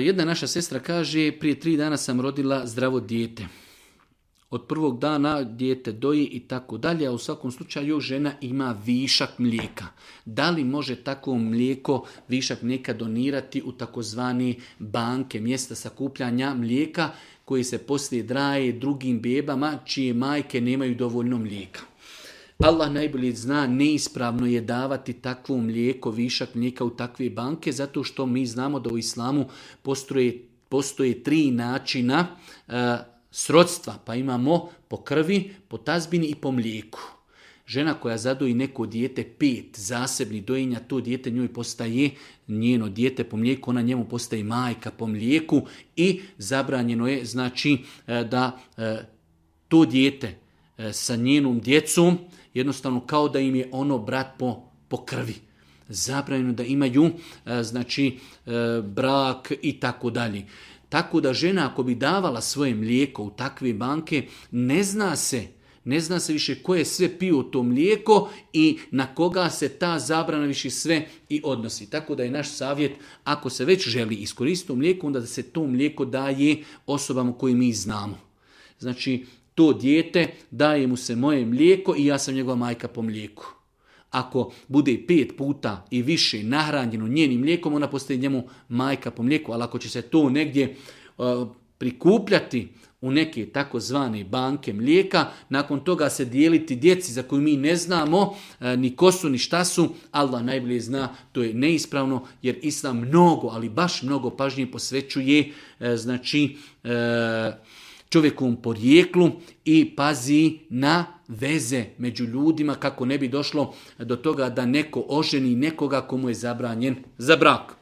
Jedna naša sestra kaže, prije 3 dana sam rodila zdravo dijete. Od prvog dana dijete doji i tako dalje, a u svakom slučaju žena ima višak mlijeka. Da li može takvo mlijeko, višak mlijeka donirati u takozvani banke, mjesta sakupljanja mlijeka koji se poslije daje drugim bebama čije majke nemaju dovoljno mlijeka? Allah najbolje zna, neispravno je davati takvo mlijeko, višak mlijeka u takve banke, zato što mi znamo da u islamu postoje 3 načina srodstva, pa imamo po krvi, po tazbini i po mlijeku. Žena koja zadoji neko dijete 5 zasebnih dojenja, to dijete njoj postaje njeno dijete po mlijeku, ona njemu postaje majka po mlijeku i zabranjeno je znači da to dijete sa njenom djecom jednostavno kao da im je ono brat po krvi. Zabranjeno da imaju znači brak i tako dalje. Tako da žena ako bi davala svoje mlijeko u takve banke, ne zna se više ko je sve pio to mlijeko i na koga se ta zabrana više sve i odnosi. Tako da je naš savjet, ako se već želi iskoristiti mlijeko, onda da se to mlijeko daje osobama koje mi znamo. Znači, to dijete, daje mu se moje mlijeko i ja sam njegova majka po mlijeku. Ako bude 5 puta i više nahranjeno njenim mlijekom, ona postaje njemu majka po mlijeku, ali ako će se to negdje prikupljati u neke takozvane banke mlijeka, nakon toga se dijeliti djeci za koju mi ne znamo ni ko su ni šta su, Allah najbolje zna, to je neispravno jer Islam mnogo, ali baš mnogo pažnje posvećuje čovjekovom porijeklu i pazi na veze među ljudima kako ne bi došlo do toga da neko oženi nekoga komu je zabranjen za brak.